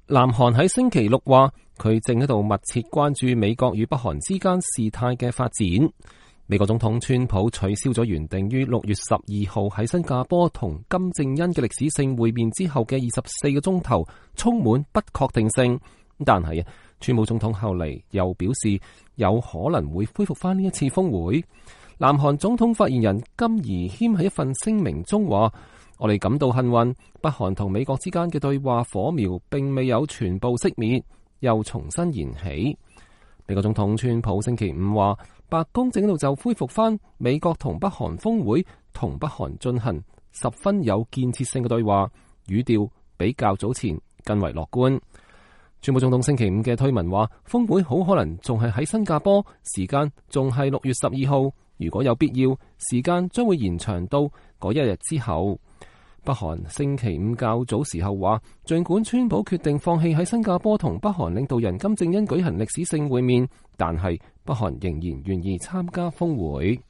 南韓喺星期六話，佢正喺度密切關注美國與北韓之間事態嘅發展。美國總統川普取消咗原定於6月12號喺新加坡同金正恩嘅歷史性會面之後嘅24個鐘頭，充滿不確定性。但係川普總統後嚟又表示有可能會恢復翻呢一次峰會。南韓總統發言人金宜謙喺一份聲明中話：我哋感到幸運，北韓同美國之間嘅對話火苗並未有全部熄滅，又重新燃起。美國總統川普星期五話，白宮正喺度就恢復翻美國同北韓峰會同北韓進行十分有建設性嘅對話，語調比較早前更為樂觀。川普總統星期五嘅推文話，峰會好可能仲係喺新加坡，時間仲係6月12號，如果有必要，時間將會延長到嗰一日之後。北韓星期五較早時候話，儘管川普決定放棄喺新加坡同北韓領導人金正恩舉行歷史性會面，但係北韓仍然願意參加峰會。